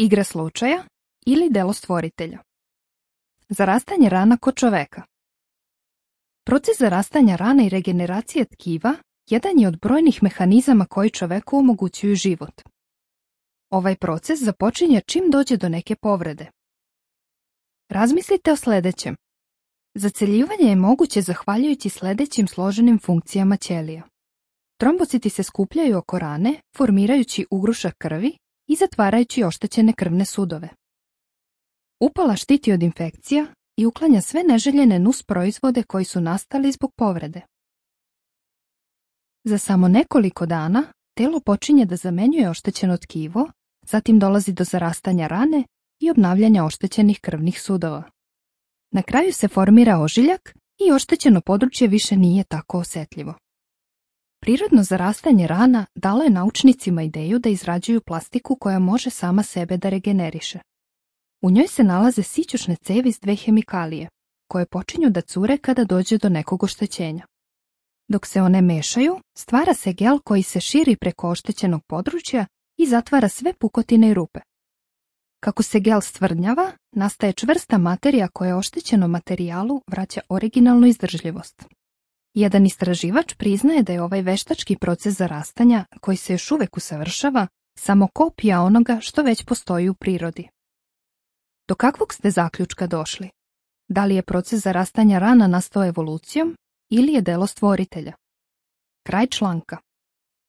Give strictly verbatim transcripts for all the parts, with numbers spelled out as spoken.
igra slučaja ili delo stvoritelja. Zarastanje rana kod čoveka. Proces zarastanja rana i regeneracije tkiva jedan je od brojnih mehanizama koji čoveku omogućuju život. Ovaj proces započinje čim dođe do neke povrede. Razmislite o sljedećem. Zaceljivanje je moguće zahvaljujući sljedećim složenim funkcijama ćelija. Trombociti se skupljaju oko rane, formirajući ugrušak krvi i zatvarajući oštećene krvne sudove. Upala štiti od infekcija i uklanja sve neželjene nus proizvode koji su nastali zbog povrede. Za samo nekoliko dana telo počinje da zamenjuje oštećeno tkivo, zatim dolazi do zarastanja rane i obnavljanja oštećenih krvnih sudova. Na kraju se formira ožiljak i oštećeno područje više nije tako osjetljivo. Prirodno zarastanje rana dalo je naučnicima ideju da izrađuju plastiku koja može sama sebe da regeneriše. U njoj se nalaze sićušne cevi s dve hemikalije, koje počinju da cure kada dođe do nekog oštećenja. Dok se one mešaju, stvara se gel koji se širi preko oštećenog područja i zatvara sve pukotine i rupe. Kako se gel stvrdnjava, nastaje čvrsta materija koja oštećenom materijalu vraća originalnu izdržljivost. Jedan istraživač priznaje da je ovaj veštački proces zarastanja, koji se još uvek usavršava, samo kopija onoga što već postoji u prirodi. Do kakvog ste zaključka došli? Da li je proces zarastanja rana nastao evolucijom ili je delo stvoritelja? Kraj članka.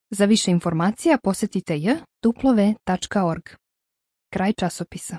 Za više informacija posjetite j w w w tačka org. Kraj časopisa.